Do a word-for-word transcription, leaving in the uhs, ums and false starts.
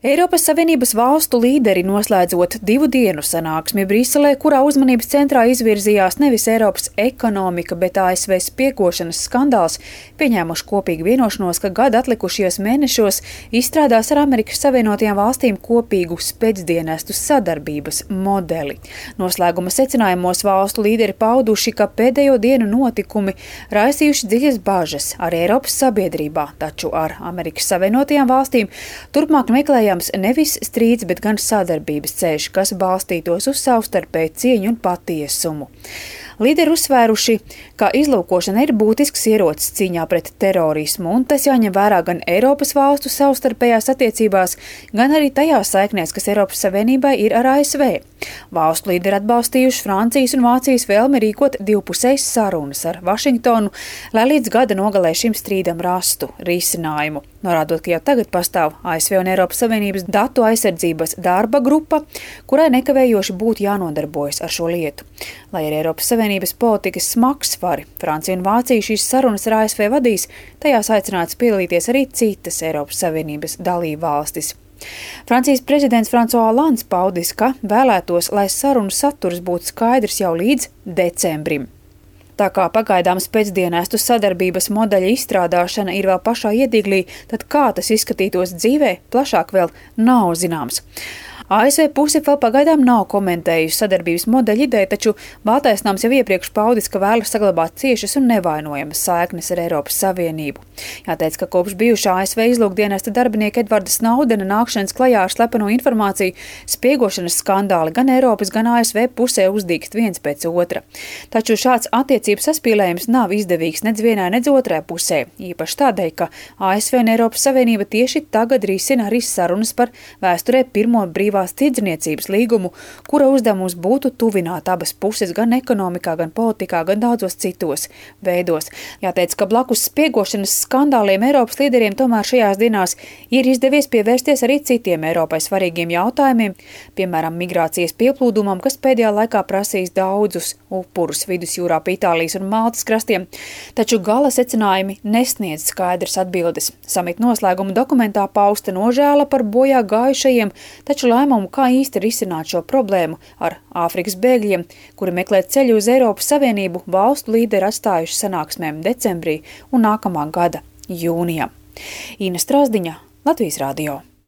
Eiropas Savienības valstu līderi noslēdzot divu dienu sanāksmi Briselē, kurā uzmanības centrā izvirzījās nevis Eiropas ekonomika, bet A S V spiegošanas skandāls, pieņēmuši kopīgu vienošanos, ka gada atlikušajos mēnešos izstrādās ar Amerikas Savienotajām valstīm kopīgu spēcdienestu sadarbības modeli. Noslēguma secinājumos valstu līderi pauduši, ka pēdējo dienu notikumi raisījuši dziļas bažas arī Eiropas sabiedrībā, taču ar Amerikas Savienotajām valstīm turpmāk meklējās nevis strīds, bet gan sadarbības ceļš, kas balstītos uz savstarpēju cieņu un patiesumu. Līderi uzsvēruši, ka izlūkošana ir būtisks ierocis cīņā pret terorismu, un tas jāņem vērā gan Eiropas valstu savstarpējās attiecībās, gan arī tajās saiknēs, kas Eiropas Savienībai ir ar A S V. Valstu līderi atbalstījuši Francijas un Vācijas vēlmi rīkot divpusējas sarunas ar Vašingtonu, lai līdz gada nogalē šim strīdam rastu risinājumu. Norādot, ka jau tagad pastāv A S V un Eiropas Savienības datu aizsardzības darba grupa, kurai nekavējoši būtu jānodarbojas ar šo lietu. Lai arī Eiropas Savienības politikas smagsvari, Francija un Vācija šīs sarunas ar A S V vadīs, tajās aicināts piedalīties arī citas Eiropas Savienības dalībvalstis. Francijas prezidents François Hollands paudis, ka vēlētos, lai sarunu saturs būtu skaidrs jau līdz decembrim. Tā kā pagaidām spēcdienestu sadarbības modeļa izstrādāšana ir vēl pašā iedīglī, tad kā tas izskatītos dzīvē, plašāk vēl nav zināms. A S V puse vēl pagaidām nav komentējusi sadarbības modeļa ideju, taču Baltais nams jau iepriekš paudis, ka vēlas saglabāt ciešas un nevainojamas saiknes ar Eiropas Savienību. Jāteic, ka kopš bijušā A S V izlūkdienesta darbinieka Edvarda Snaudena nākšanas klajā ar slepeno informāciju, spiegošanas skandāli gan Eiropas, gan A S V pusē uzdīkst viens pēc otra. Taču šāds attiecības saspīlējums nav izdevīgs nedz vienai, nedz otrai pusē, īpaši tādēļ, ka A S V un Eiropas Savienība tieši tagad risina arī sarunas par vēsturē pirmo brīvā tirdzniecības līgumu, kura uzdevums būtu tuvināt abas puses gan ekonomikā, gan politikā, gan daudzos citos veidos. Jāteic, ka blakus spiegošanas skandāliem Eiropas līderiem tomēr šajās dienās ir izdevies pievērsties arī citiem Eiropai svarīgiem jautājumiem, piemēram, migrācijas pieplūdumam, kas pēdējā laikā prasīs daudzus upurus vidusjūrā pa Itālijas un Maltas krastiem, taču gala secinājumi nesniedz skaidras atbildes. Samita noslēguma dokumentā pausta nožēla par bojā gājušajiem, taču lēmumu, kā īsti risināt šo problēmu ar Āfrikas bēgļiem, kuri meklē ceļu uz Eiropas Savienību, valstu līderi atstājuši sanāksmēm decembrī un nākamā gada jūnijā. Ina Strasdiņa, Latvijas radio.